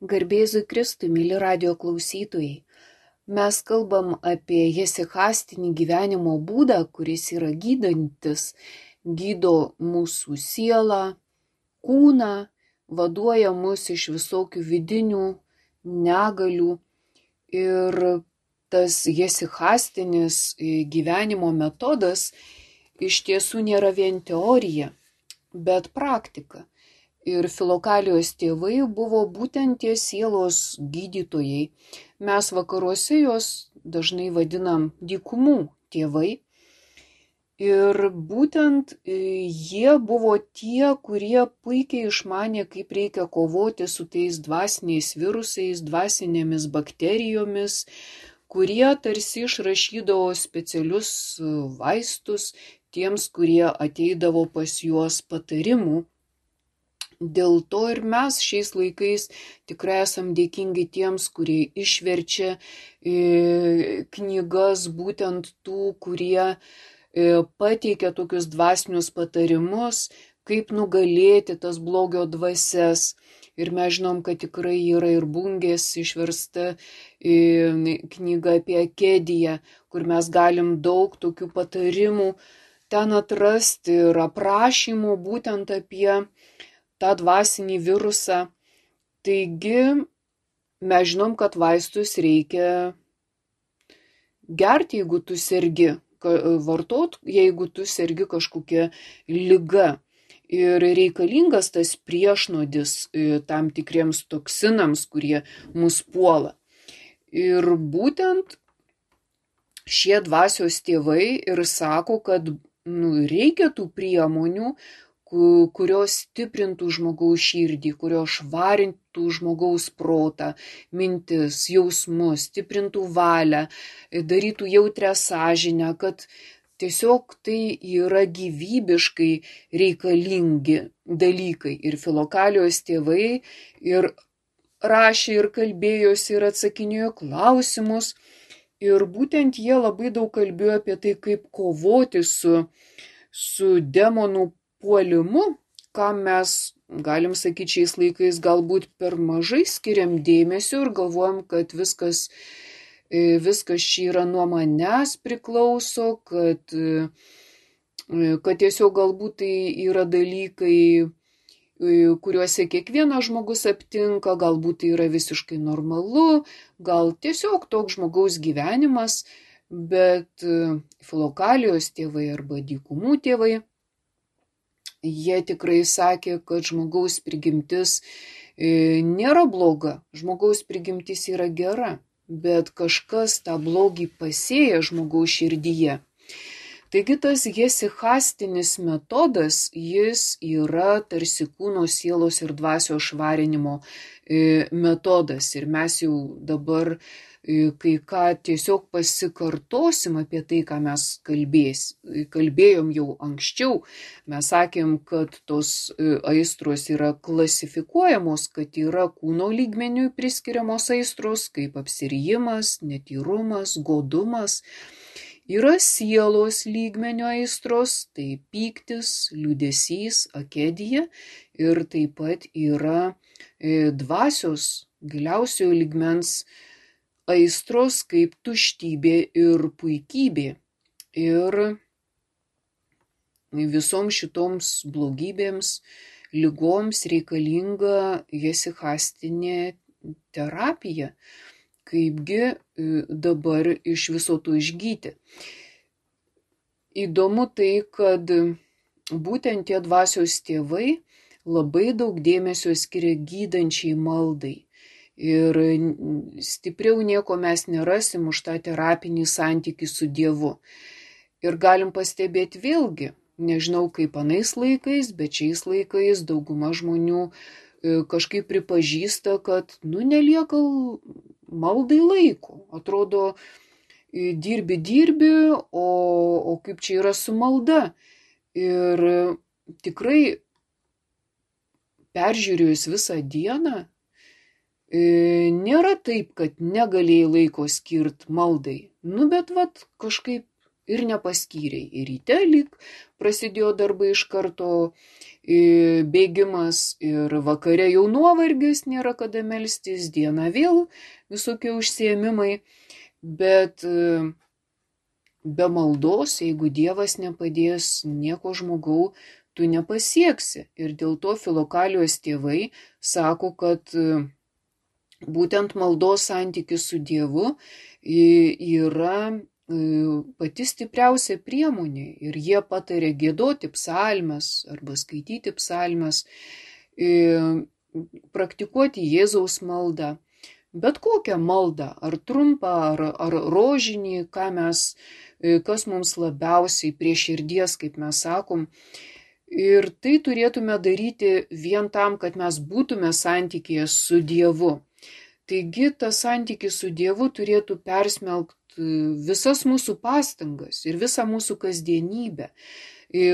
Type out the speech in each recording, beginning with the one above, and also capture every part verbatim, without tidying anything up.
Garbėzui Kristui, myli radijo klausytojai. Mes kalbam apie hesichastinį gyvenimo būdą, kuris yra gydantis, gydo mūsų sielą, kūną, vaduoja mus iš visokių vidinių negalių. Ir tas hesichastinis gyvenimo metodas iš tiesų nėra vien teorija, bet praktika. Ir Filokalijos tėvai buvo būtent tie sielos gydytojai. Mes vakaruose juos dažnai vadinam dykumų tėvai. Ir būtent jie buvo tie, kurie puikiai išmanė, kaip reikia kovoti su tais dvasiniais virusais, dvasinėmis bakterijomis, kurie tarsi išrašydavo specialius vaistus tiems, kurie ateidavo pas juos patarimų. Dėl to ir mes šiais laikais tikrai esam dėkingi tiems, kurie išverčia knygas būtent tų, kurie pateikia tokius dvasinius patarimus, kaip nugalėti tas blogio dvasias. Ir mes žinom, kad tikrai yra ir Bungės išversta knyga apie Akediją, kur mes galim daug tokių patarimų ten atrasti ir aprašymų būtent apie tą dvasinį virusą. Taigi mes žinom, kad vaistus reikia gerti, jeigu tu sergi, vartot, jeigu tu sergi kažkokia liga. Ir reikalingas tas priešnodis tam tikriems toksinams, kurie mus puola. Ir būtent šie dvasios tėvai ir sako, kad nu, reikia tų priemonių, kurios stiprintų žmogaus širdį, kurios švarintų žmogaus protą, mintis, jausmus, stiprintų valią, darytų jautrią sąžinę, kad tiesiog tai yra gyvybiškai reikalingi dalykai. Ir Filokalijos tėvai ir rašė, ir kalbėjosi, ir atsakinėjo klausimus. Ir būtent jie labai daug kalbėjo apie tai, kaip kovoti su, su demonų puolimu, kam mes, galim sakyti, šiais laikais galbūt per mažai skiriam dėmesio ir galvojam, kad viskas, viskas čia yra nuo manęs priklauso, kad, kad tiesiog galbūt tai yra dalykai, kuriuose kiekvienas žmogus aptinka, galbūt tai yra visiškai normalu, gal tiesiog toks žmogaus gyvenimas, bet Filokalijos tėvai arba dykumų tėvai, jie tikrai sakė, kad žmogaus prigimtis nėra bloga, žmogaus prigimtis yra gera, bet kažkas tą blogį pasėja žmogaus širdyje. Taigi tas hesichastinis metodas, jis yra tarsi kūno, sielos ir dvasios švarinimo metodas. Ir mes jau dabar kai ką tiesiog pasikartosim apie tai, ką mes kalbės, kalbėjom jau anksčiau. Mes sakėm, kad tos aistros yra klasifikuojamos, kad yra kūno lygmeniui priskiriamos aistros, kaip apsirijimas, netyrumas, godumas. Yra sielos lygmenio aistros, tai pyktis, liūdesys, akedija, ir taip pat yra dvasios giliausiojo lygmens aistros kaip tuštybė ir puikybė. Ir visoms šitoms blogybėms, ligoms reikalinga hesichastinė terapija. Kaipgi dabar iš viso to išgyti. Įdomu tai, kad būtent tie dvasios tėvai labai daug dėmesio skiria gydančiai maldai. Ir stipriau nieko mes nerasim už tą terapinį santykį su Dievu. Ir galim pastebėti vėlgi, nežinau kaip anais laikais, bet šiais laikais dauguma žmonių kažkaip pripažįsta, kad nu nelieka maldai laiko. Atrodo, dirbi, dirbi, o, o kaip čia yra su malda. Ir tikrai peržiūrėjus visą dieną, nėra taip, kad negalėjai laiko skirt maldai. Nu, bet vat kažkaip ir nepaskyrei. Ir ryte lyg prasidėjo darbai iš karto, bėgimas ir vakare jau nuovargis, nėra kada melstis, dieną vėl visokie užsiėmimai, bet be maldos, jeigu Dievas nepadės, nieko žmogau tu nepasieksi. Ir dėl to Filokalijos tėvai sako, kad būtent maldos santykis su Dievu yra pati stipriausia priemonė. Ir jie patarė giedoti psalmes arba skaityti psalmes, praktikuoti Jėzaus maldą. Bet kokią maldą, ar trumpą, ar, ar rožinį, ką mes, kas mums labiausiai prie širdies, kaip mes sakom. Ir tai turėtume daryti vien tam, kad mes būtume santykėje su Dievu. Taigi tas santykis su Dievu turėtų persmelkti visas mūsų pastangas ir visą mūsų kasdienybę.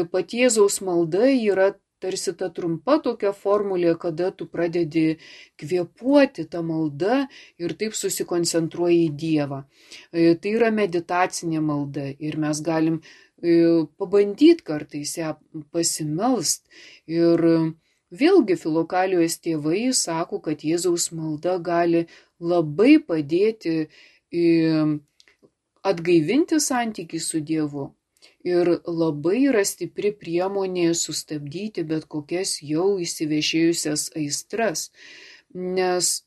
Pati Jėzaus malda yra tarsi ta trumpa tokia formulė, kada tu pradedi kvėpuoti tą maldą ir taip susikoncentruoji į Dievą. Tai yra meditacinė malda ir mes galim pabandyti kartais ją pasimelst. Ir vėlgi Filokalijos tėvai sako, kad Jėzaus malda gali labai padėti atgaivinti santykį su Dievu. Ir labai yra stipri priemonė sustabdyti bet kokias jau įsivešėjusias aistras. Nes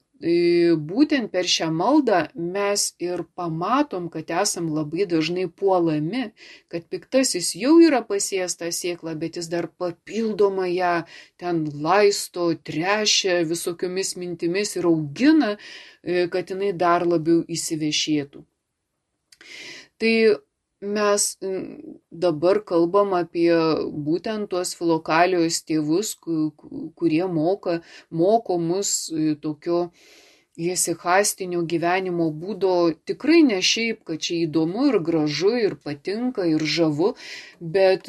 būtent per šią maldą mes ir pamatom, kad esam labai dažnai puolami, kad piktasis jau yra pasėjęs tą sėklą, bet jis dar papildomai ją ten laisto, trešia visokiomis mintimis ir augina, kad jinai dar labiau įsivešėtų. Tai mes dabar kalbam apie būtent tuos Filokalijos tėvus, kurie moka, moko mus tokio jesihastinio gyvenimo būdo, tikrai ne šiaip, kad čia įdomu ir gražu ir patinka ir žavu, bet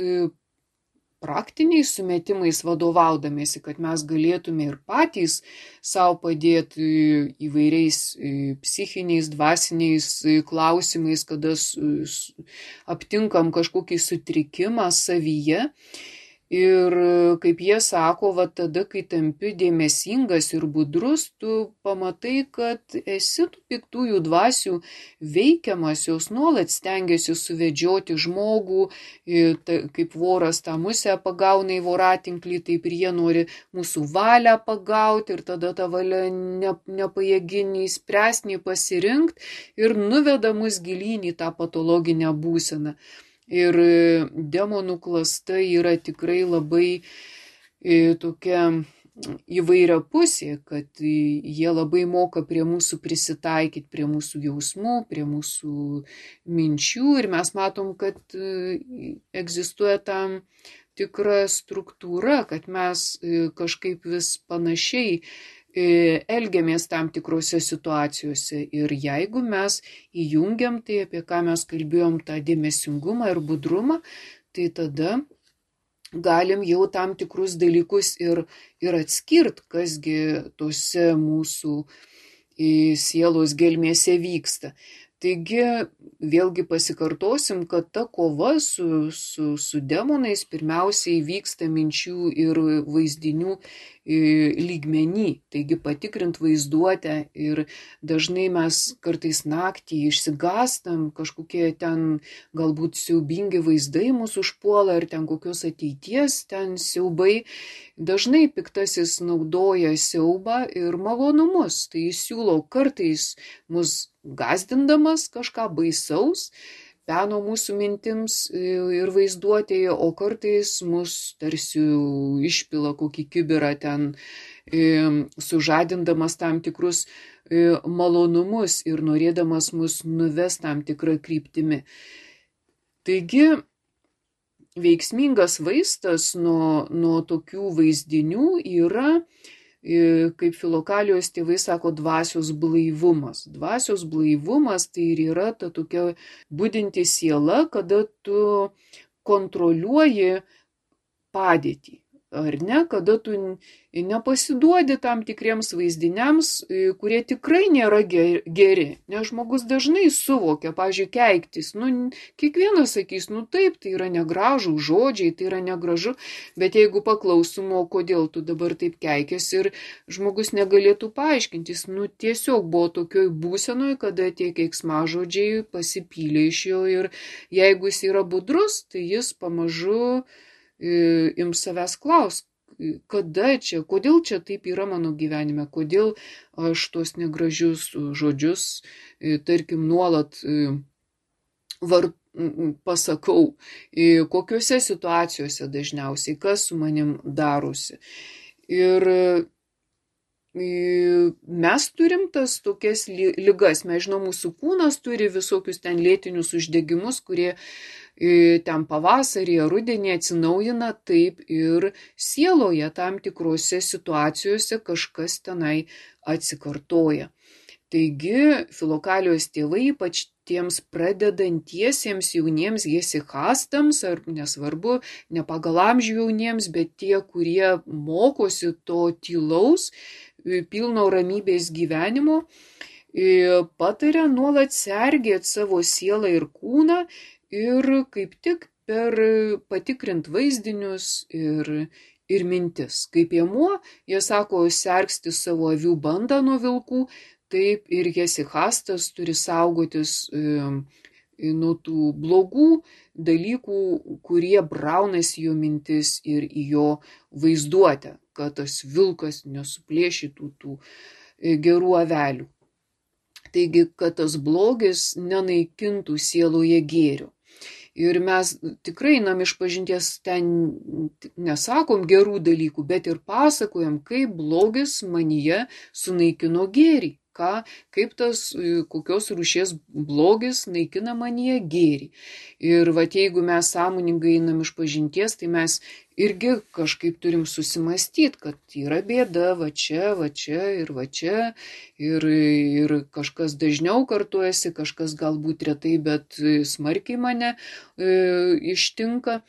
praktiniais sumetimais vadovaudamėsi, kad mes galėtume ir patys savo padėti įvairiais psichiniais, dvasiniais klausimais, kada aptinkam kažkokį sutrikimą savyje. Ir kaip jie sako, va tada, kai tampi dėmesingas ir budrus, tu pamatai, kad esi tų piktųjų dvasių veikiamas, jos nuolat stengiasi suvedžioti žmogų, kaip voras tą musę pagauna į voratinklį, taip ir jie nori mūsų valią pagauti ir tada tą valią ne, nepajėgi nei spręsti, nei pasirinkti ir nuveda mus gilyn į tą patologinę būseną. Ir demonų klasta yra tikrai labai e, tokia įvairiapusė, kad jie labai moka prie mūsų prisitaikyti, prie mūsų jausmų, prie mūsų minčių ir mes matom, kad e, egzistuoja tam tikra struktūra, kad mes e, kažkaip vis panašiai elgiamės tam tikrose situacijose ir jeigu mes įjungiam tai, apie ką mes kalbėjom, tą dėmesingumą ir budrumą, tai tada galim jau tam tikrus dalykus ir, ir atskirt, kasgi tose mūsų sielos gelmėse vyksta. Taigi, vėlgi pasikartosim, kad ta kova su, su, su demonais pirmiausiai vyksta minčių ir vaizdinių lygmenį. Taigi patikrint vaizduotę ir dažnai mes kartais naktį išsigastam, kažkokie ten galbūt siaubingi vaizdai mūsų užpuola ir ten kokios ateities ten siaubai. Dažnai piktasis naudoja siaubą ir malonumus. Tai jis siūlo kartais mus gazdindamas kažką baisaus, peno mūsų mintims ir vaizduotėje, o kartais mus tarsi išpila kokį kibirą ten, sužadindamas tam tikrus malonumus ir norėdamas mus nuves tam tikrą kryptimi. Taigi, veiksmingas vaistas nuo, nuo tokių vaizdinių yra, kaip Filokalijos tėvai sako, dvasios blaivumas. Dvasios blaivumas tai ir yra ta tokia budinti siela, kada tu kontroliuoji padėtį. ar ne, kada tu nepasiduodi tam tikriems vaizdiniams, kurie tikrai nėra geri, nes žmogus dažnai suvokia, pavyzdžiui, keiktis, nu, kiekvienas sakys, nu taip, tai yra negražų žodžiai, tai yra negražu, bet jeigu paklausom, o kodėl tu dabar taip keikėsi ir žmogus negalėtų paaiškintis, nu tiesiog buvo tokioj būsenoj, kada tie keiksmažodžiai pasipylė iš jo ir jeigu jis yra budrus, tai jis pamažu ims savęs klaus, kada čia, kodėl čia taip yra mano gyvenime, kodėl aš tuos negražius žodžius, tarkim, nuolat var, pasakau, kokiuose situacijose dažniausiai, kas su manim darosi. Ir mes turim tas tokias ligas, mes žinom, mūsų kūnas turi visokius ten lėtinius uždegimus, kurie ten pavasarį, rudenį atsinaujina, taip ir sieloje tam tikrose situacijose kažkas tenai atsikartoja. Taigi Filokalijos tėvai, ypač tiems pradedantiesiems jauniems hesichastams, ar nesvarbu, ne pagal amžių jauniems, bet tie, kurie mokosi to tylaus, pilno ramybės gyvenimo, pataria nuolat sergėti savo sielą ir kūną ir kaip tik per patikrint vaizdinius ir, ir mintis. Kaip Piemuo, jie sako, sergsti savo avių bandą nuo vilkų, taip ir hesichastas turi saugotis nuo tų blogų dalykų, kurie braunasi jo mintis ir į jo vaizduotę, kad tas vilkas nesuplėšytų tų gerų avelių. Taigi, kad tas blogis nenaikintų sieloje gėrio. Ir mes tikrai einam iš pažinties, ten nesakom gerų dalykų, bet ir pasakojam, kaip blogis manyje sunaikino gėrį. Ką, kaip tas, kokios rūšies blogis naikina manyje gėrį. Ir vat, jeigu mes sąmoningai einam iš pažinties, tai mes irgi kažkaip turim susimastyti, kad yra bėda va čia, va čia ir va čia. Ir, ir kažkas dažniau kartuojasi, kažkas galbūt retai, bet smarkiai mane e, ištinka.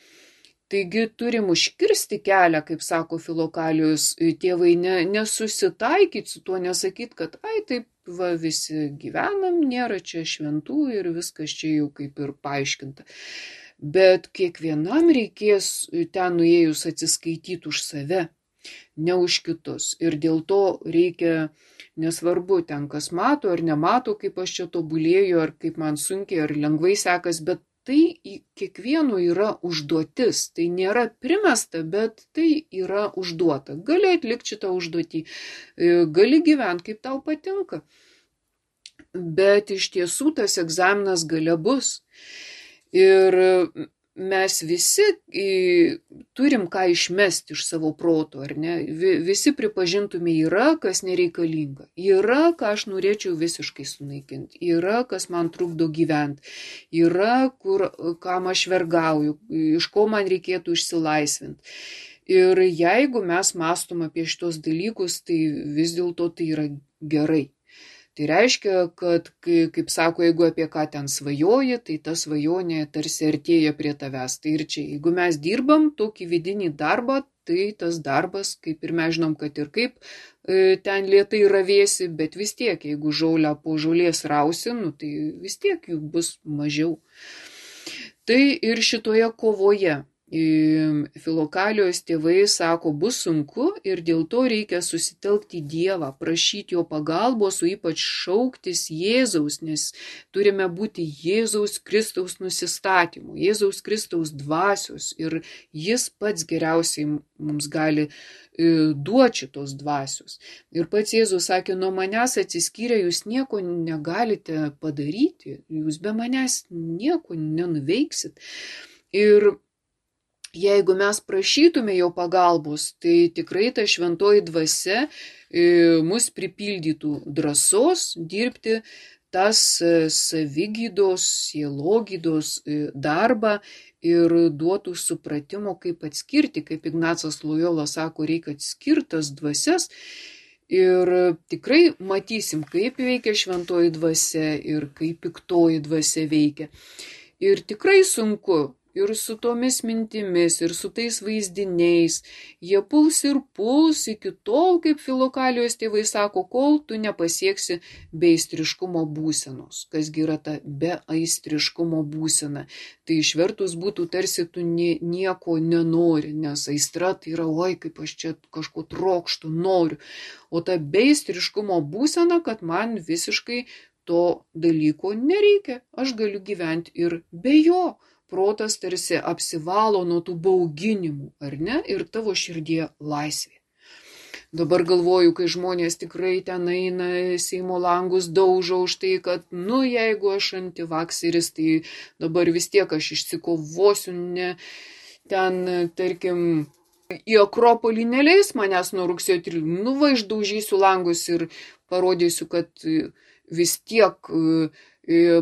Taigi turim užkirsti kelią, kaip sako Filokalijos tėvai, ne, nesusitaikyti su tuo, nesakyti, kad ai taip va visi gyvenam, nėra čia šventų ir viskas čia jau kaip ir paaiškinta. Bet kiekvienam reikės ten nuėjus atsiskaityti už save, ne už kitus. Ir dėl to reikia, nesvarbu ten kas mato ar nemato, kaip aš čia tobulėju, ar kaip man sunkiai ar lengvai sekas, bet tai kiekvieno yra užduotis, tai nėra primesta, bet tai yra užduota. Gali atlikti šitą užduotį, gali gyventi, kaip tau patinka, bet iš tiesų tas egzaminas gale bus. Ir mes visi turim ką išmesti iš savo proto, ar ne? Visi pripažintume, yra, kas nereikalinga. Yra, ką aš norėčiau visiškai sunaikinti. Yra, kas man trukdo gyventi. Yra, kur, kam aš vergauju, iš ko man reikėtų išsilaisvinti. Ir jeigu mes mąstom apie šitos dalykus, tai vis dėlto tai yra gerai. Tai reiškia, kad, kaip sako, jeigu apie ką ten svajoji, tai ta svajonė tarsi artėja prie tavęs. Tai ir čia, jeigu mes dirbam tokį vidinį darbą, tai tas darbas, kaip ir mes žinom, kad ir kaip e, ten lėtai ravėsi, bet vis tiek, jeigu žolę po žolės rausi, nu, tai vis tiek jų bus mažiau. Tai ir šitoje kovoje Filokalijos tėvai sako, bus sunku ir dėl to reikia susitelkti į Dievą, prašyti jo pagalbos, o ypač šauktis Jėzaus, nes turime būti Jėzaus Kristaus nusistatymu, Jėzaus Kristaus dvasios ir jis pats geriausiai mums gali duoti šitos dvasios. Ir pats Jėzus sakė, nuo manęs atsiskyrę jūs nieko negalite padaryti, jūs be manęs nieko nenuveiksit. Ir jeigu mes prašytume jo pagalbos, tai tikrai ta šventoji dvasia mus pripildytų drąsos dirbti tas savigydos, sielogydos darbą ir duotų supratimo, kaip atskirti, kaip Ignacas Lojola sako, reikia atskirtas dvasias. Ir tikrai matysim, kaip veikia šventoji dvasia ir kaip piktoji dvasia veikia. Ir tikrai sunku. ir su tomis mintimis, ir su tais vaizdiniais, jie puls ir puls iki tol, kaip Filokalijos tėvai sako, kol tu nepasieksi beaistriškumo būsenos. Kasgi yra ta beaistriškumo būsena? Tai išvertus būtų tarsi tu nieko nenori, nes aistra tai yra, oi, kaip aš čia kažko trokštų, noriu. O ta beaistriškumo būsena, kad man visiškai to dalyko nereikia, aš galiu gyventi ir be jo. Protas tarsi apsivalo nuo tų bauginimų, ar ne? Ir tavo širdie laisvė. Dabar galvoju, kai žmonės tikrai ten eina, Seimo langus daužo už tai, kad, nu, jeigu aš antivakseris, tai dabar vis tiek aš išsikovosiu, ne, ten, tarkim, į Akropolį neleis manęs nuo rugsėjo tryliktosios, nu, va, išdaužysiu langus ir parodysiu, kad vis tiek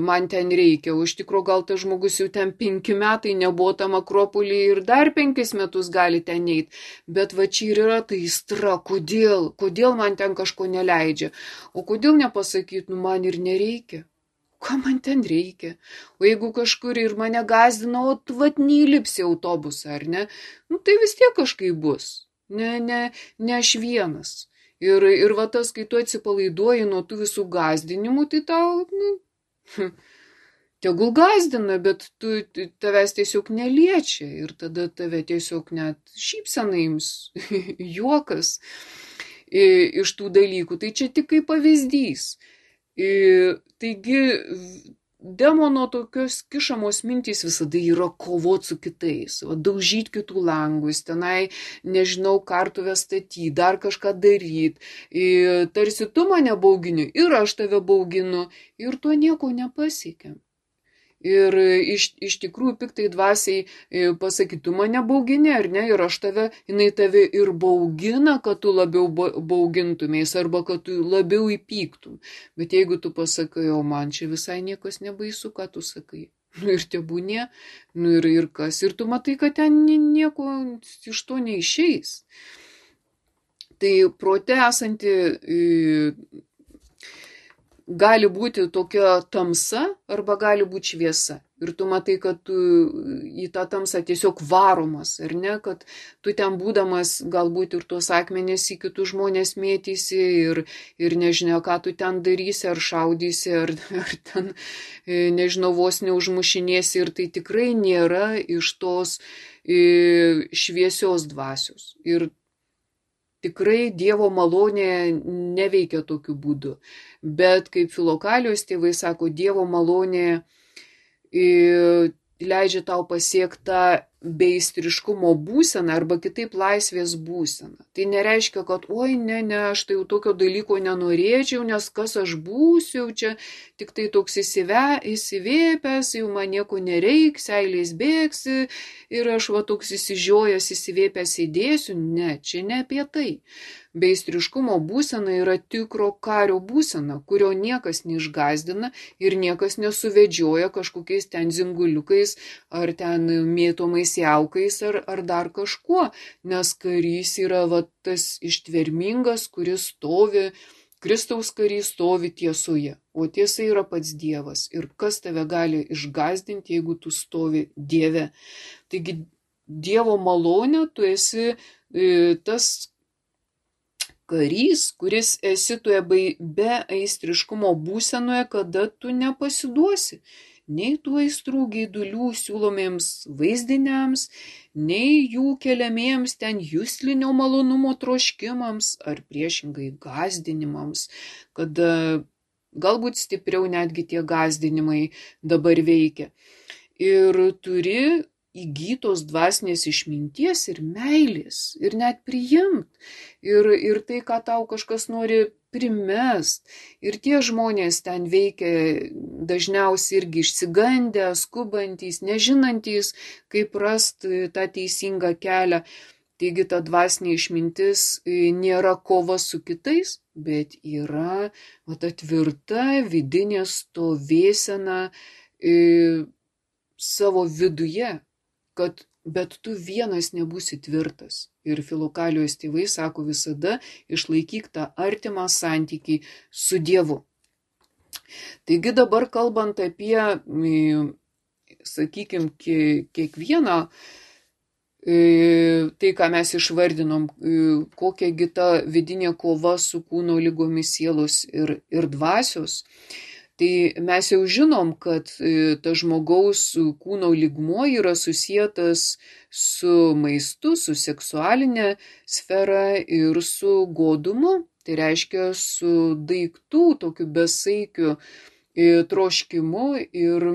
man ten reikia, o iš tikrųjų gal tas žmogus jau ten penki metai nebuvo tam Akropolį ir dar penkis metus gali ten eiti, bet va čia ir yra ta aistra, kodėl, kodėl man ten kažko neleidžia, o kodėl nepasakyt, nu man ir nereikia, ką man ten reikia, o jeigu kažkur ir mane gazdina, o tu vat neįlipsi autobusą, ar ne, nu tai vis tiek kažkaip bus, ne, ne, ne aš vienas. Ir, ir va tas, kai tu atsipalaiduoji nuo tų visų gazdinimų, tai tau, nu, tegul gazdina, bet tu, tavęs tiesiog neliečia ir tada tave tiesiog net šypsena ims, juokas iš tų dalykų. Tai čia tik kaip pavyzdys. Taigi, demono tokios kišamos mintys visada yra kovot su kitais, va, daužyti kitų langus, tenai, nežinau, kartuvę statyti, dar kažką daryti. Tarsi tu mane baugini ir aš tave bauginu ir tuo nieko nepasiekiam. Ir iš, iš tikrųjų piktai dvasiai pasakyti, tu mane baugini, ar ne, ir aš tave, jinai tave ir baugina, kad tu labiau baugintumės, arba kad tu labiau įpyktum. Bet jeigu tu pasakai, o man čia visai niekas nebaisu, ką tu sakai, nu ir tebūnie, nu ir, ir kas, ir tu matai, kad ten nieko iš to neišeis. Tai prote esanti gali būti tokia tamsa arba gali būti šviesa. Ir tu matai, kad tu į tą tamsą tiesiog varomas, ar ne, kad tu ten būdamas galbūt ir tuos akmenys į kitus žmonės mėtysi ir, ir nežinia, ką tu ten darysi, ar šaudysi, ar, ar ten, nežinau, vos neužmušinėsi. Ir tai tikrai nėra iš tos šviesios dvasios. Ir tikrai Dievo malonė neveikia tokiu būdu. Bet kaip Filokalijos tėvai sako, Dievo malonė leidžia tau pasiekti tą beaistriškumo būseną arba kitaip laisvės būseną. Tai nereiškia, kad oi, ne, ne, aš tai jau tokio dalyko nenorėčiau, nes kas aš būsiu, čia tik tai toks įsive, įsivėpęs, jau man nieko nereiks, seilės bėgsi ir aš va toks įsižiojęs, įsivėpęs įdėsiu. Ne, čia ne apie tai. Beistriškumo būsena yra tikro kario būsena, kurio niekas neišgazdina ir niekas nesuvedžioja kažkokiais ten zinguliukais ar ten mėtomais jaukais ar, ar dar kažkuo, nes karys yra va, tas ištvermingas, kuris stovi, Kristaus karys stovi tiesoje, o tiesa yra pats Dievas. Ir kas tave gali išgazdinti, jeigu tu stovi Dieve. Taigi Dievo malonė, tu esi e, tas karys, kuris esi toje be aistriškumo būsenoje, kada tu nepasiduosi nei tų aistrų geidulių siūlomiems vaizdiniams, nei jų keliamiems ten juslinio malonumo troškimams ar priešingai gazdinimams, kada galbūt stipriau netgi tie gazdinimai dabar veikia. Ir turi įgytos dvasinės išminties ir meilės, ir net priimt. Ir, ir tai, ką tau kažkas nori primest. Ir tie žmonės ten veikia dažniausiai irgi išsigandę, skubantys, nežinantys, kaip rasti tą teisingą kelią. Taigi ta dvasinė išmintis nėra kova su kitais, bet yra va, ta tvirta vidinė stovėsena e, savo viduje. Kad, bet tu vienas nebūsi tvirtas. Ir Filokalijos tėvai sako visada, išlaikyk tą artimą santykį su Dievu. Taigi dabar kalbant apie sakykime, kiekvieną tai, ką mes išvardinom, kokiagi ta vidinė kova su kūno lygomis sielos ir, ir dvasios, tai mes jau žinom, kad ta žmogaus kūno lygmuo yra susietas su maistu, su seksualinė sfera ir su godumu, tai reiškia su daiktų tokiu besaikiu troškimu ir,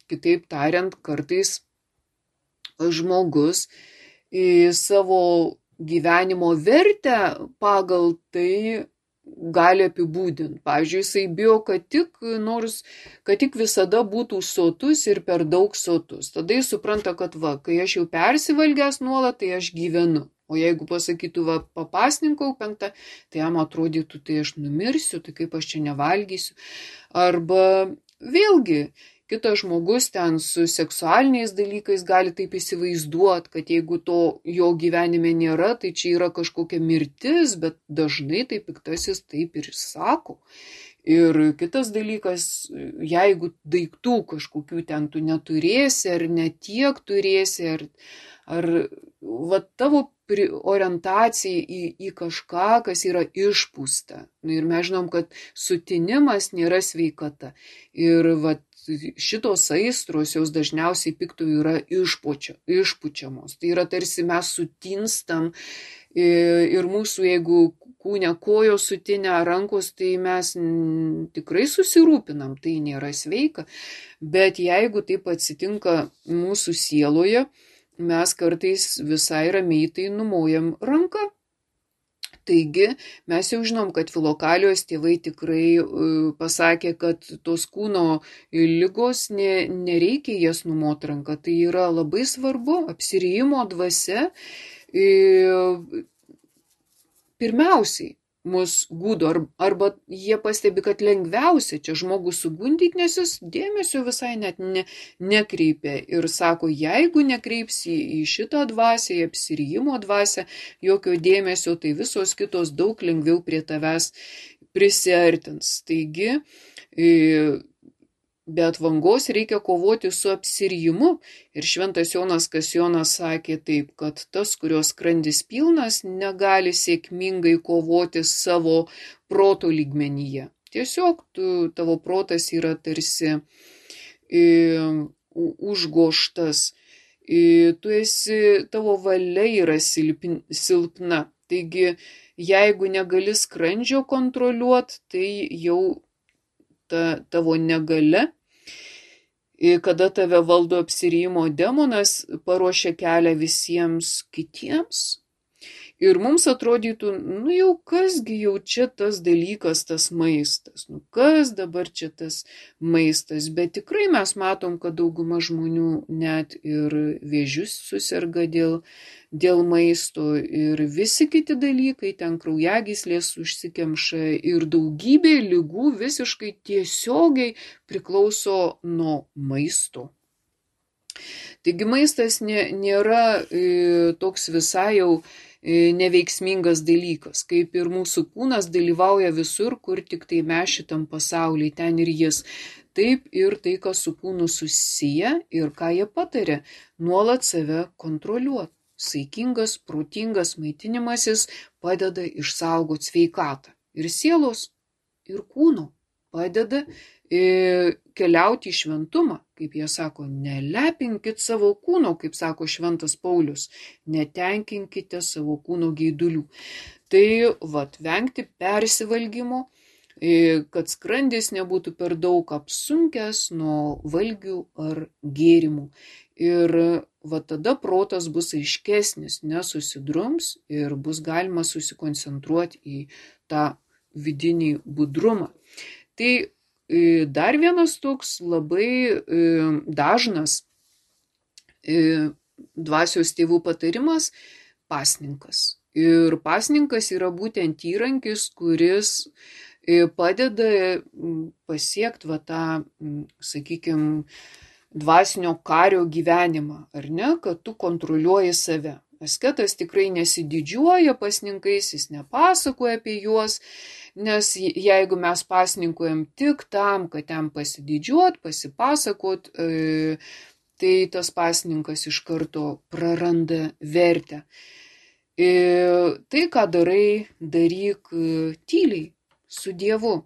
kitaip tariant, kartais žmogus savo gyvenimo vertę pagal tai gali apibūdinti. Pavyzdžiui, jisai bijo, kad tik, nors, kad tik visada būtų sotus ir per daug sotus. Tada jis supranta, kad va, kai aš jau persivalgęs nuolat, tai aš gyvenu. O jeigu pasakytų, va, papasninkau penktą, tai jam atrodytų, tai aš numirsiu, tai kaip aš čia nevalgysiu. Arba vėlgi, kitas žmogus ten su seksualiniais dalykais gali taip įsivaizduoti, kad jeigu to jo gyvenime nėra, tai čia yra kažkokia mirtis, bet dažnai tai piktasis taip ir sako. Ir kitas dalykas, jeigu daiktų kažkokių ten tu neturėsi, ar netiek turėsi, ar, ar va, tavo orientacija į, į kažką, kas yra išpūsta. Ir mes žinom, kad sutinimas nėra sveikata. Ir va, šitos aistros jos dažniausiai piktų yra išpučia, išpučiamos. Tai yra tarsi mes sutinstam ir mūsų, jeigu kūne kojos sutinę rankos, tai mes tikrai susirūpinam, tai nėra sveika. Bet jeigu taip atsitinka mūsų sieloje, mes kartais visai ramiai tai numojam ranką. Taigi mes jau žinom, kad Filokalijos tėvai tikrai pasakė, kad tos kūno ligos ne, nereikia jas numoti ranką. Tai yra labai svarbu, apsirijimo dvasia pirmiausiai mus gudo, arba jie pastebi, kad lengviausia čia žmogų sugundyti, nes jis dėmesio visai net ne, nekreipia. Ir sako, jeigu nekreipsi į šitą dvasę, į apsirijimo dvasę, jokio dėmesio, tai visos kitos daug lengviau prie tavęs prisiartins. Taigi, be atvangos reikia kovoti su apsirijimu. Ir šventas Jonas Kasjonas sakė taip, kad tas, kurios skrandis pilnas, negali sėkmingai kovoti savo proto lygmenyje. Tiesiog tu, tavo protas yra tarsi e, užgoštas. E, tu esi, tavo valia yra silpn, silpna. Taigi, jeigu negali skrandžio kontroliuoti, tai jau ta tavo negalia, kada tave valdo apsirijimo demonas, paruošia kelią visiems kitiems. Ir mums atrodytų, nu jau kasgi jau čia tas dalykas, tas maistas, nu kas dabar čia tas maistas, bet tikrai mes matom, kad dauguma žmonių net ir vėžius susirga dėl, dėl maisto ir visi kiti dalykai, ten kraujagyslės užsikemša ir daugybė ligų visiškai tiesiogiai priklauso nuo maisto. Taigi maistas nė, nėra e, toks visai jau neveiksmingas dalykas, kaip ir mūsų kūnas dalyvauja visur, kur tik tai mes šitam pasaulyje, ten ir jis. Taip ir tai, kas su kūnu susiję ir ką jie patarė, nuolat save kontroliuoti. Saikingas, protingas maitinimasis padeda išsaugoti sveikatą. Ir sielos, ir kūno padeda e, keliauti į šventumą. Kaip jie sako, nelepinkit savo kūno, kaip sako šventas Paulius, netenkinkite savo kūno geidulių. Tai vat, vengti persivalgymo, kad skrandis nebūtų per daug apsunkęs nuo valgių ar gėrimų. Ir va tada protas bus aiškesnis, nesusidrums ir bus galima susikoncentruoti į tą vidinį budrumą. Tai dar vienas toks labai dažnas dvasios tėvų patarimas – pasninkas. Ir pasninkas yra būtent įrankis, kuris padeda pasiekti va tą, sakykime, dvasinio kario gyvenimą, ar ne, kad tu kontroliuoji save. Asketas tikrai nesididžiuoja pasninkais, jis nepasakoja apie juos, nes jeigu mes pasninkuojam tik tam, kad ten pasididžiuot, pasipasakot, e, tai tas pasninkas iš karto praranda vertę. Ir tai, ką darai, daryk tyliai su Dievu.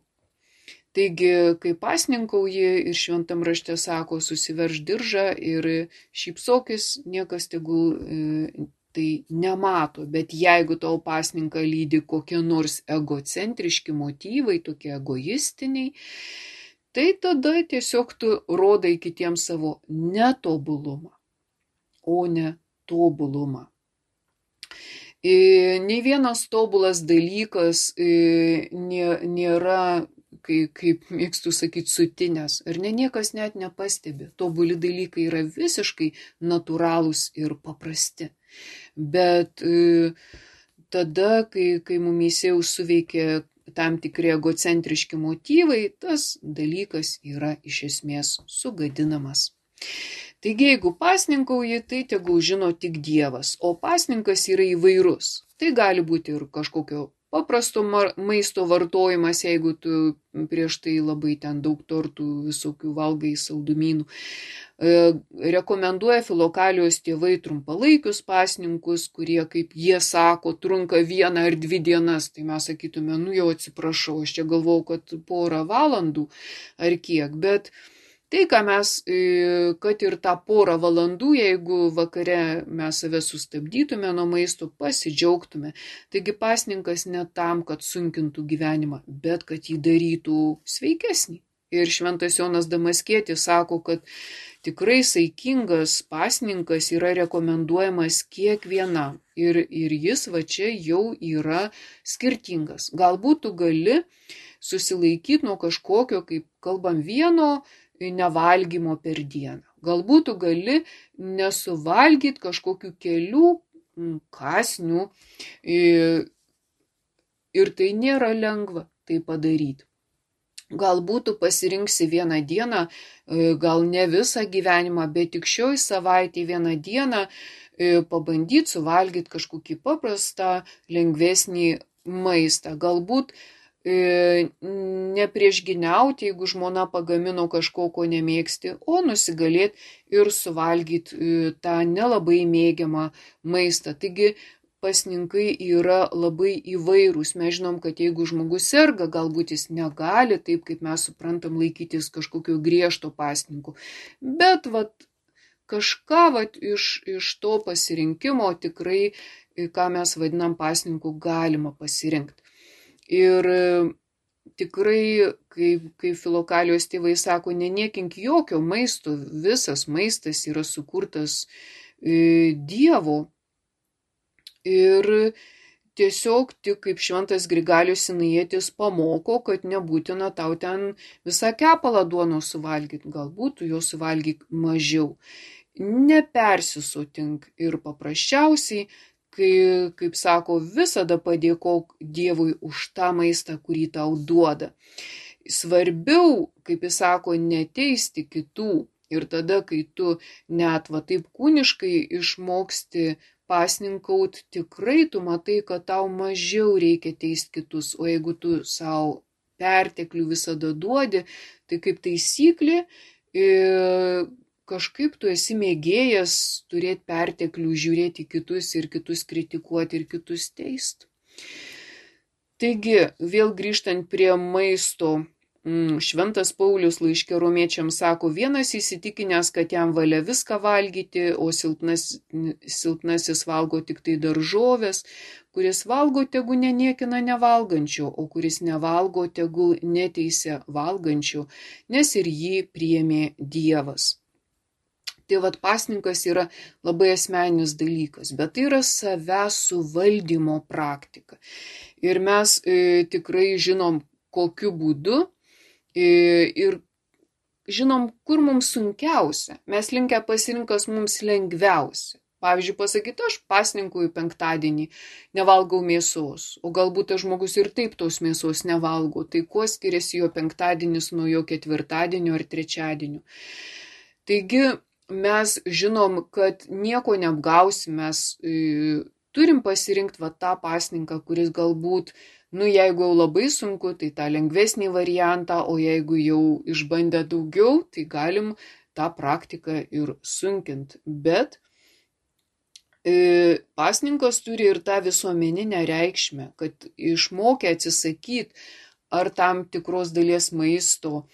Taigi, kai pasninkauji ir šventam rašte sako, susiverš diržą ir šypsokis, niekas tegul e, tai nemato. Bet jeigu tau pasninką lydi kokie nors egocentriški motyvai, tokie egoistiniai, tai tada tiesiog tu rodai kitiems savo netobulumą, o ne tobulumą. E, nei vienas tobulas dalykas e, nėra, Kaip, kaip mėgstu sakyti, sutinės. Ar ne, niekas net nepastebi. Tobuli dalykai yra visiškai natūralūs ir paprasti. Bet e, tada, kai, kai mumyse jau suveikia tam tikri egocentriški motyvai, tas dalykas yra iš esmės sugadinamas. Taigi, jeigu pasninkauji, tai tegul žino tik Dievas, o pasninkas yra įvairus. Tai gali būti ir kažkokio paprasto maisto vartojimas, jeigu tu prieš tai labai ten daug tortų visokių valgai, saldumynų. Rekomenduoja Filokalijos tėvai trumpalaikius pasninkus, kurie, kaip jie sako, trunka vieną ar dvi dienas. Tai mes sakytume, nu jau atsiprašau, aš čia galvau, kad porą valandų ar kiek, bet tai, ką mes, kad ir tą porą valandų, jeigu vakare mes save sustabdytume nuo maisto, pasidžiaugtume. Taigi pasninkas ne tam, kad sunkintų gyvenimą, bet kad jį darytų sveikesnį. Ir šventas Jonas Damaskietis sako, kad tikrai saikingas pasninkas yra rekomenduojamas kiekvienam. Ir, ir jis va čia jau yra skirtingas. Galbūt tu gali susilaikyti nuo kažkokio, kaip kalbam, vieno nevalgymo per dieną. Galbūt tu gali nesuvalgyti kažkokių kelių kąsnių ir tai nėra lengva tai padaryti. Galbūt tu pasirinksi vieną dieną, gal ne visą gyvenimą, bet tik šioj savaitėje vieną dieną pabandyti suvalgyti kažkokį paprastą, lengvesnį maistą. Galbūt nepriešginiauti, jeigu žmona pagamino kažko, ko nemėgsti, o nusigalėti ir suvalgyti tą nelabai mėgiamą maistą. Taigi pasninkai yra labai įvairūs. Mes žinom, kad jeigu žmogus serga, galbūt jis negali, taip kaip mes suprantam, laikytis kažkokio griežto pasninko. Bet vat, kažką vat, iš, iš to pasirinkimo tikrai, ką mes vadinam pasninku, galima pasirinkti. Ir tikrai, kaip, kaip Filokalijos tėvai sako, neniekink jokio maisto, visas maistas yra sukurtas e, Dievo. Ir tiesiog tik kaip šventas Grigalius Sinajietis pamoko, kad nebūtina tau ten visą kepalą duonos suvalgyti, galbūt tu jo suvalgyk mažiau. Nepersisotink ir paprasčiausiai, Kai, kaip sako, visada padėkok Dievui už tą maistą, kurį tau duoda. Svarbiau, kaip jis sako, neteisti kitų. Ir tada, kai tu net va taip kūniškai išmoksti pasninkaut, tikrai tu matai, kad tau mažiau reikia teisti kitus. O jeigu tu savo perteklių visada duodi, tai kaip taisyklė, e, kažkaip tu esi mėgėjas turėti perteklių, žiūrėti kitus ir kitus kritikuoti ir kitus teisti. Taigi, vėl grįžtant prie maisto, šventas Paulius laiške Romiečiams sako, vienas įsitikinęs, kad jam valia viską valgyti, o silpnas, silpnasis valgo tik tai daržovės, kuris valgo, tegu neniekina nevalgančio, o kuris nevalgo, tegul neteisia valgančio, nes ir jį priėmė Dievas. Tai vat pasninkas yra labai asmeninis dalykas, bet tai yra savęs suvaldymo praktika. Ir mes e, tikrai žinom, kokiu būdu e, ir žinom, kur mums sunkiausia. Mes linkę pasirinkas mums lengviausia. Pavyzdžiui, pasakyti, aš pasninkauju penktadienį, nevalgau mėsos, o galbūt tas žmogus ir taip tos mėsos nevalgo. Tai kuo skiriasi jo penktadienis nuo jo ketvirtadienio ar trečiadienio. Taigi, mes žinom, kad nieko neapgausim, mes e, turim pasirinkti va tą pasninką, kuris galbūt, nu jeigu jau labai sunku, tai tą lengvesnį variantą, o jeigu jau išbandę daugiau, tai galim tą praktiką ir sunkint. Bet e, pasninkas turi ir tą visuomeninę reikšmę, kad išmokę atsisakyti ar tam tikros dalies maisto,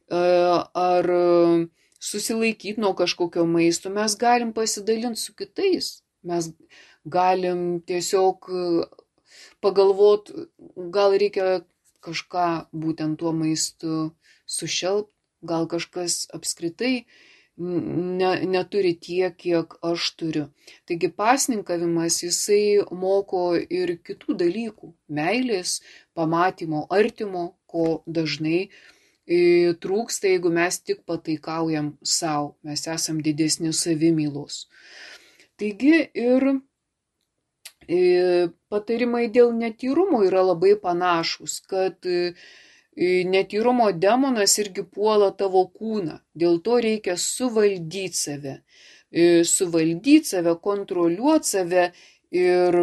e, ar susilaikyti nuo kažkokio maisto, mes galim pasidalinti su kitais. Mes galim tiesiog pagalvot, gal reikia kažką būtent tuo maistu sušelpt, gal kažkas apskritai ne, neturi tiek, kiek aš turiu. Taigi pasninkavimas, jisai moko ir kitų dalykų, meilės, pamatymo, artimo, ko dažnai e, trūksta, jeigu mes tik pataikaujam savo, mes esam didesni savimylos. Taigi ir patarimai dėl netyrumo yra labai panašus, kad netyrumo demonas irgi puola tavo kūną, dėl to reikia suvaldyti save, suvaldyti save, kontroliuoti save ir,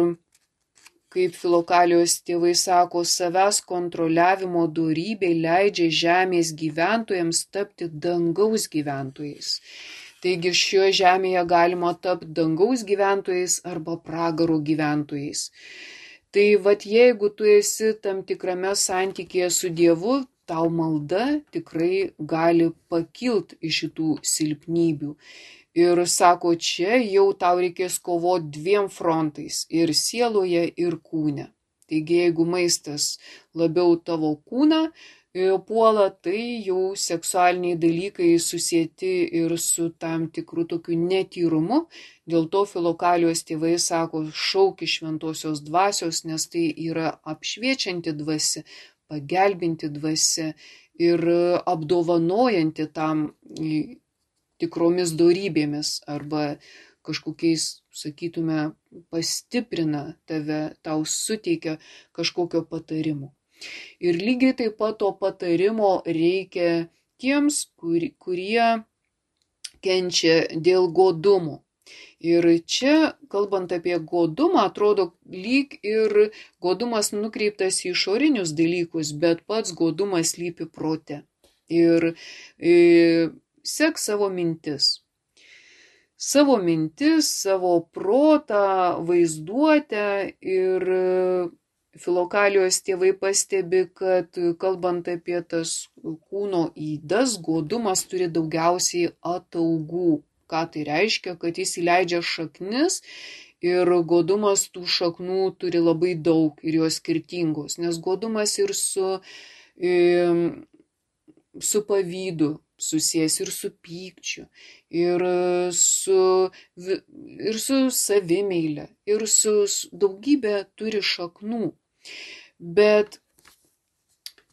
kaip Filokalijos tėvai sako, savęs kontroliavimo dorybė leidžia žemės gyventojams tapti dangaus gyventojais. Taigi šioje žemėje galima tapti dangaus gyventojais arba pragaro gyventojais. Tai vat jeigu tu esi tam tikrame santykėje su Dievu, tau malda tikrai gali pakilti iš šitų silpnybių. Ir sako, čia jau tau reikės kovoti dviem frontais, ir sieloje, ir kūne. Taigi jeigu maistas labiau tavo kūną puola, tai jau seksualiniai dalykai susieti ir su tam tikru tokiu netyrumu. Dėl to Filokalijos tėvai sako, šauki šventosios dvasios, nes tai yra apšviečianti dvasia, pagelbinti dvasia ir apdovanojanti tam tikromis dorybėmis arba kažkokiais, sakytume, pastiprina tave, tau suteikia kažkokio patarimo. Ir lygiai taip pat to patarimo reikia tiems, kur, kurie kenčia dėl godumo. Ir čia, kalbant apie godumą, atrodo lyg ir godumas nukreiptas į išorinius dalykus, bet pats godumas slypi prote. Ir e, sek savo mintis. Savo mintis, savo protą, vaizduotę ir Filokalijos tėvai pastebi, kad kalbant apie tas kūno ydas, godumas turi daugiausiai ataugų. Ką tai reiškia? Kad jis įleidžia šaknis ir godumas tų šaknų turi labai daug ir jos skirtingos, nes godumas ir su, su pavydu susijęs, ir su pykčiu, ir su, ir su savimeile, ir su daugybė turi šaknų. Bet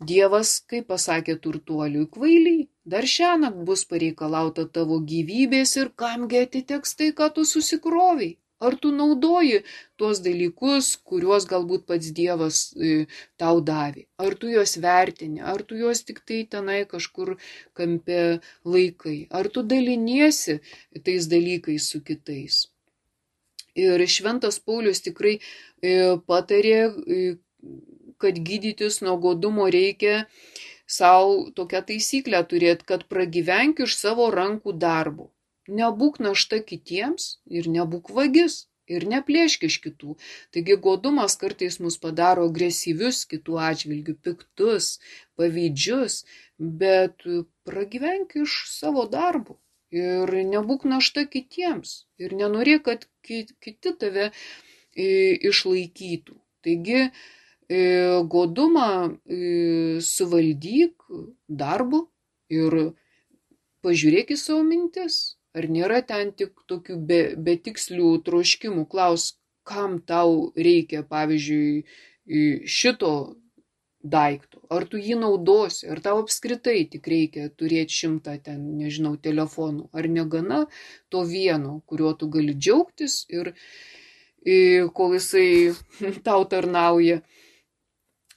Dievas, kaip pasakė turtuoliui, kvailiai, dar šiąnakt bus pareikalauta tavo gyvybės ir kamgi atiteks tai, ką tu susikroviai. Ar tu naudoji tuos dalykus, kuriuos galbūt pats Dievas e, tau davė? Ar tu juos vertini? Ar tu juos tik tai tenai kažkur kampe laikai? Ar tu daliniesi tais dalykais su kitais? Ir šventas Paulius tikrai e, patarė, e, kad gydytis nuo godumo reikia savo tokią taisyklę turėti, kad pragyvenk iš savo rankų darbo. Nebūk našta kitiems ir nebūk vagis ir neplėšk iš kitų. Taigi godumas kartais mus padaro agresyvius kitų atžvilgių, piktus, pavydžius, bet pragyvenk iš savo darbo ir nebūk našta kitiems ir nenorėk, kad kiti tave išlaikytų. Taigi godumą suvaldyk darbu ir pažiūrėk į savo mintis. Ar nėra ten tik tokių be, betikslių troškimų? Klaus, kam tau reikia, pavyzdžiui, šito daikto? Ar tu jį naudosi? Ar tau apskritai tik reikia turėti šimtą ten, nežinau, telefonų? Ar negana to vieno, kuriuo tu gali džiaugtis ir kol jisai tau tarnauja?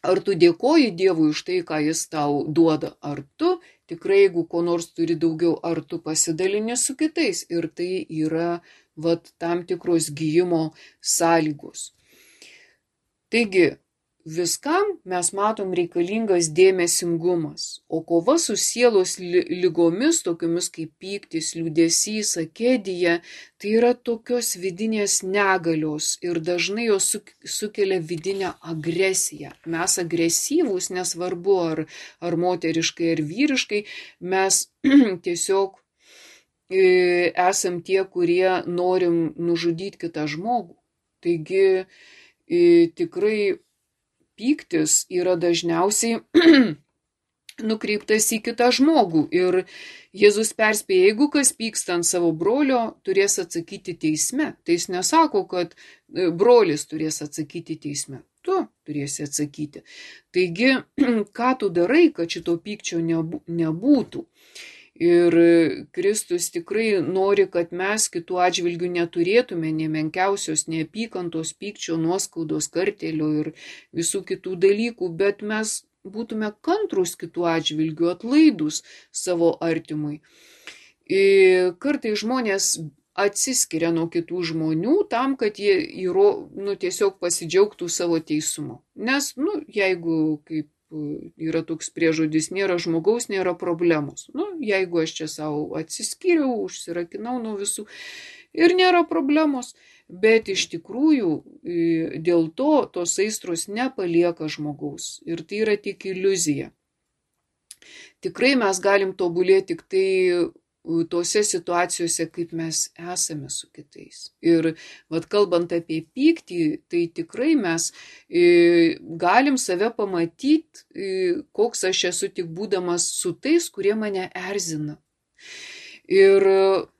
Ar tu dėkoji Dievui už tai, ką jis tau duoda? Ar tu tikrai, jeigu ko nors turi daugiau, ar tu pasidalini su kitais? Ir tai yra vat, tam tikros gijimo sąlygos. Taigi, viskam mes matom reikalingas dėmesingumas, o kova su sielos lygomis, tokiomis kaip pyktis, liūdesys, akedija, tai yra tokios vidinės negalios ir dažnai jos sukelia vidinę agresiją. Mes agresyvūs, nesvarbu ar, ar moteriškai, ar vyriškai, mes tiesiog e, esam tie, kurie norim nužudyti kitą žmogų. Taigi e, tikrai pyktis yra dažniausiai nukreiptas į kitą žmogų. Ir Jėzus perspėja, jeigu kas pyksta ant savo brolio, turės atsakyti teisme. Tai jis nesako, kad brolis turės atsakyti teisme. Tu turėsi atsakyti. Taigi, ką tu darai, kad šito pykčio nebūtų? Ir Kristus tikrai nori, kad mes kitų atžvilgių neturėtume nė menkiausios neapykantos, pykčio, nuoskaudos, kartėlio ir visų kitų dalykų, bet mes būtume kantrus kitų atžvilgių, atlaidus savo artimui. Ir kartais žmonės atsiskiria nuo kitų žmonių tam, kad jie įro, nu, tiesiog pasidžiaugtų savo teisumu. Nes, nu, jeigu kaip yra toks priežodis, nėra žmogaus, nėra problemos. Nu, jeigu aš čia savo atsiskyriau, užsirakinau nuo visų ir nėra problemos, bet iš tikrųjų dėl to tos aistros nepalieka žmogaus ir tai yra tik iliuzija. Tikrai mes galim tobulėti tik tai tose situacijose, kaip mes esame su kitais. Ir vat, kalbant apie pyktį, tai tikrai mes e, galim save pamatyti, e, koks aš esu tik būdamas su tais, kurie mane erzina. Ir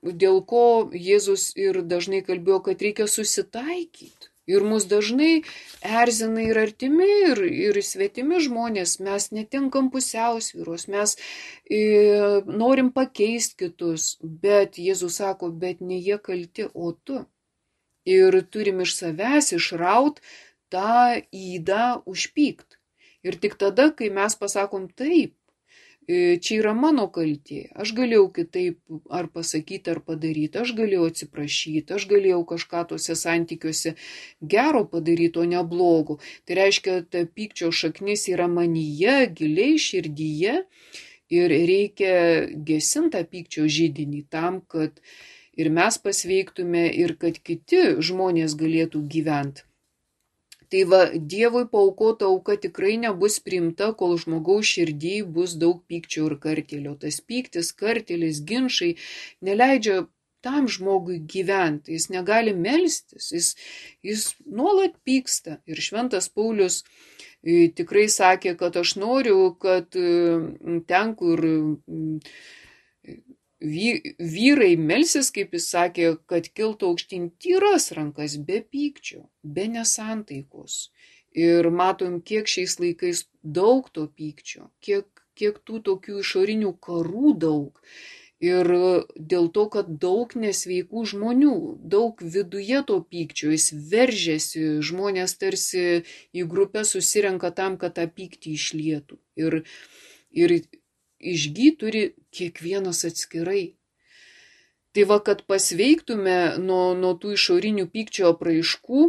dėl ko Jėzus ir dažnai kalbėjo, kad reikia susitaikyti. Ir mus dažnai erzina ir artimi, ir, ir svetimi žmonės, mes netenkam pusiausvyros, mes e, norim pakeisti kitus, bet Jėzus sako, bet ne jie kalti, o tu. Ir turim iš savęs išraut tą ydą užpykt. Ir tik tada, kai mes pasakom taip, čia yra mano kaltė, aš galėjau kitaip ar pasakyti, ar padaryti, aš galėjau atsiprašyti, aš galėjau kažką tuose santykiuose gero padaryti, o ne blogo. Tai reiškia, ta pykčio šaknis yra manyje, giliai širdyje ir reikia gesinti tą pykčio židinį tam, kad ir mes pasveiktume ir kad kiti žmonės galėtų gyventi. Tai va, Dievui paaukota auka tikrai nebus priimta, kol žmogaus širdį bus daug pykčio ir kartėlio. Tas pyktis, kartėlis, ginčai neleidžia tam žmogui gyventi. Jis negali melstis, jis, jis nuolat pyksta. Ir šventas Paulius e, tikrai sakė, kad aš noriu, kad e, ten, kur e, vyrai melsis, kaip jis sakė, kad kiltų aukštyn tyras rankas be pykčio, be nesantaikos. Ir matom, kiek šiais laikais daug to pykčio, kiek, kiek tų tokių išorinių karų daug. Ir dėl to, kad daug nesveikų žmonių, daug viduje to pykčio, jis veržiasi, žmonės tarsi į grupę susirenka tam, kad tą pyktį išlietų. Ir, ir išgyt turi kiekvienas atskirai. Tai va, kad pasveiktume nuo, nuo tų išorinių pykčio apraiškų,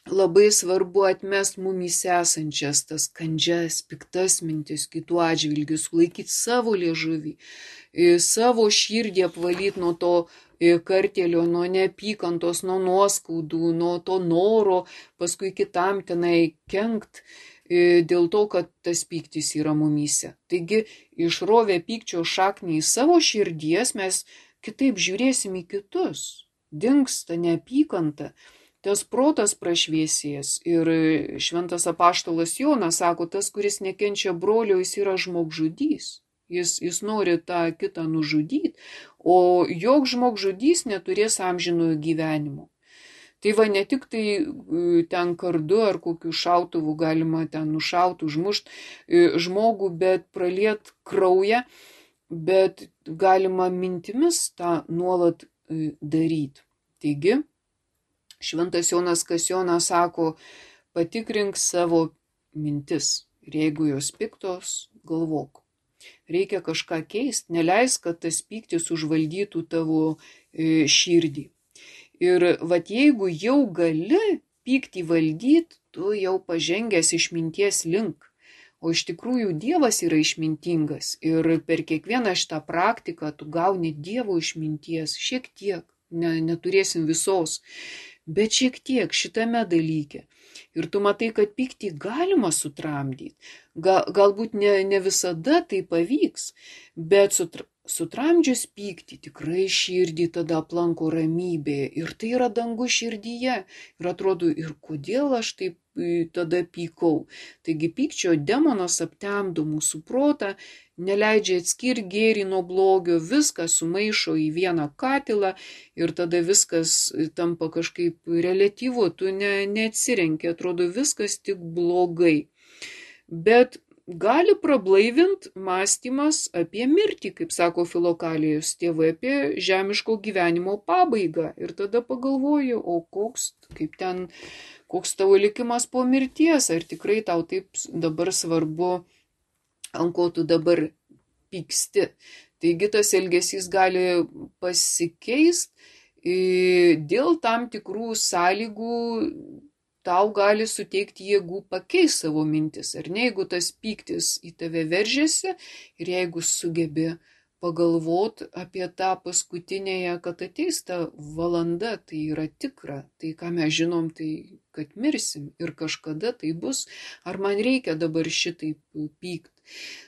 labai svarbu atmest mumyse esančias tas kandžias, piktas mintis kitų atžvilgių, sulaikyti savo liežuvį, savo širdį apvalyti nuo to kartėlio, nuo neapykantos, nuo nuoskaudų, nuo to noro paskui kitam tenai kenkt, dėl to, kad tas pyktis yra mumyse. Taigi, išrovę pykčio šaknį į savo širdies, mes kitaip žiūrėsim į kitus. Dingsta neapykanta, tas protas prašviesės. Ir šventas apaštalas Jonas sako, tas, kuris nekenčia brolio, jis yra žmogžudys. Jis, jis nori tą kitą nužudyti, o joks žmogžudys neturės amžinojo gyvenimo. Tai va, ne tik tai ten kardu ar kokiu šautuvu galima ten nušauti, užmušti žmogų, bet praliet kraują, bet galima mintimis tą nuolat daryti. Taigi, šventas Jonas Kasionas sako, patikrink savo mintis ir jeigu jos piktos, galvok. Reikia kažką keisti, neleisk, kad tas pyktis užvaldytų tavo širdį. Ir vat jeigu jau gali pyktį valdyti, tu jau pažengęs išminties link. O iš tikrųjų Dievas yra išmintingas ir per kiekvieną šitą praktiką tu gauni Dievo išminties šiek tiek, ne, neturėsim visos, bet šiek tiek šitame dalyke. Ir tu matai, kad pyktį galima sutramdyti. Ga, galbūt ne, ne visada tai pavyks, bet sutra, sutramdžius pyktį tikrai širdį tada aplanko ramybė. Ir tai yra dangus širdyje. Ir atrodo, ir kodėl aš taip tada pykau. Taigi pykčio demonas aptemdo mūsų protą, neleidžia atskirti gėrį nuo blogio, viską sumaišo į vieną katilą ir tada viskas tampa kažkaip reliatyvu, tu ne, neatsirenki, atrodo viskas tik blogai. Bet gali prablaivinti mąstymas apie mirtį, kaip sako Filokalijos tėvai, apie žemiško gyvenimo pabaigą. Ir tada pagalvoju, o koks, kaip ten, koks tavo likimas po mirties, ar tikrai tau taip dabar svarbu, ant ko tu dabar pyksti. Taigi tas elgesys gali pasikeisti dėl tam tikrų sąlygų, tau gali suteikti jėgų pakeisti savo mintis. Ar ne, jeigu tas pyktis į tave veržiasi ir jeigu sugebi pagalvoti apie tą paskutinėje, kad ateis ta valanda, tai yra tikra. Tai ką mes žinom, tai kad mirsim ir kažkada tai bus. Ar man reikia dabar šitaip pykti?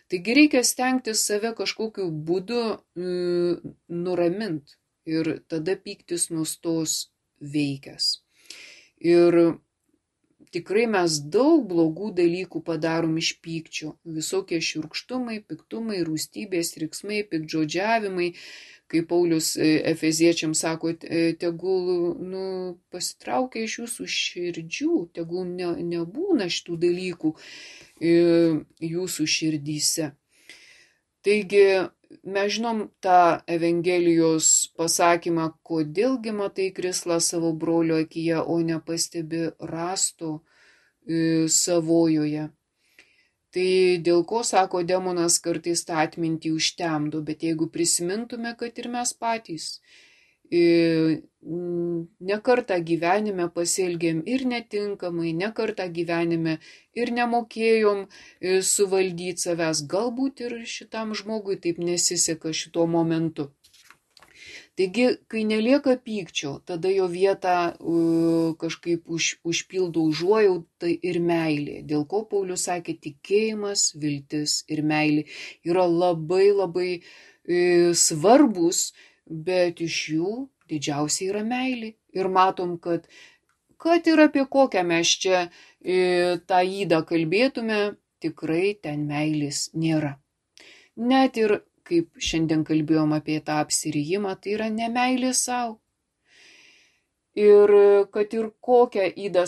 Taigi reikia stengtis save kažkokiu būdu mm, nuraminti ir tada pyktis nustos veikęs. Ir tikrai mes daug blogų dalykų padarom iš pykčio. Visokie šiurkštumai, piktumai, rūstybės, riksmai, piktžodžiavimai. Kaip Paulius Efeziečiams sako, tegul nu, pasitraukia iš jūsų širdžių, tegul ne, nebūna šitų dalykų jūsų širdyse. Taigi mes žinom tą Evangelijos pasakymą, kodėlgi matai krislą savo brolio akyje, o nepastebi rąsto savojoje. Tai dėl ko, sako demonas, kartais tą atmintį užtemdo, bet jeigu prisimintume, kad ir mes patys nekartą gyvenime pasielgėm ir netinkamai, nekartą gyvenime ir nemokėjom suvaldyti savęs, galbūt ir šitam žmogui taip nesiseka šituo momentu. Taigi, kai nelieka pykčio, tada jo vietą uh, kažkaip už, užpildo užuojauta ir meilė. Dėl ko Paulius sakė, tikėjimas, viltis ir meilė yra labai labai uh, svarbus, bet iš jų didžiausia yra meilė. Ir matom, kad, kad ir apie kokią mes čia uh, tą ydą kalbėtume, tikrai ten meilės nėra. Net ir kaip šiandien kalbėjom apie tą apsirijimą, tai yra nemeilė savo. Ir kad ir kokią ydą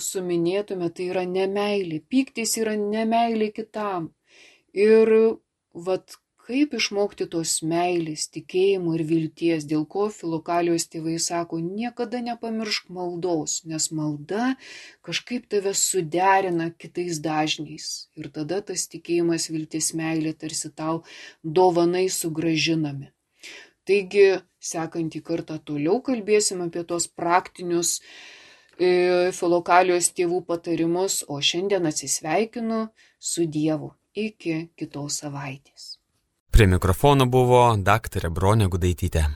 suminėtume, tai yra nemeilė. Pyktis yra nemeilė kitam. Ir vat kaip išmokti tos meilės, tikėjimo ir vilties, dėl ko Filokalijos tėvai sako, niekada nepamiršk maldos, nes malda kažkaip tave suderina kitais dažniais. Ir tada tas tikėjimas, viltis, meilė tarsi tau dovanai sugražinami. Taigi, sekantį kartą toliau kalbėsim apie tos praktinius e, Filokalijos tėvų patarimus, o šiandien atsisveikinu su Dievu. Iki kitos savaitės. Prie mikrofono buvo daktarė Bronė Gudaitytė.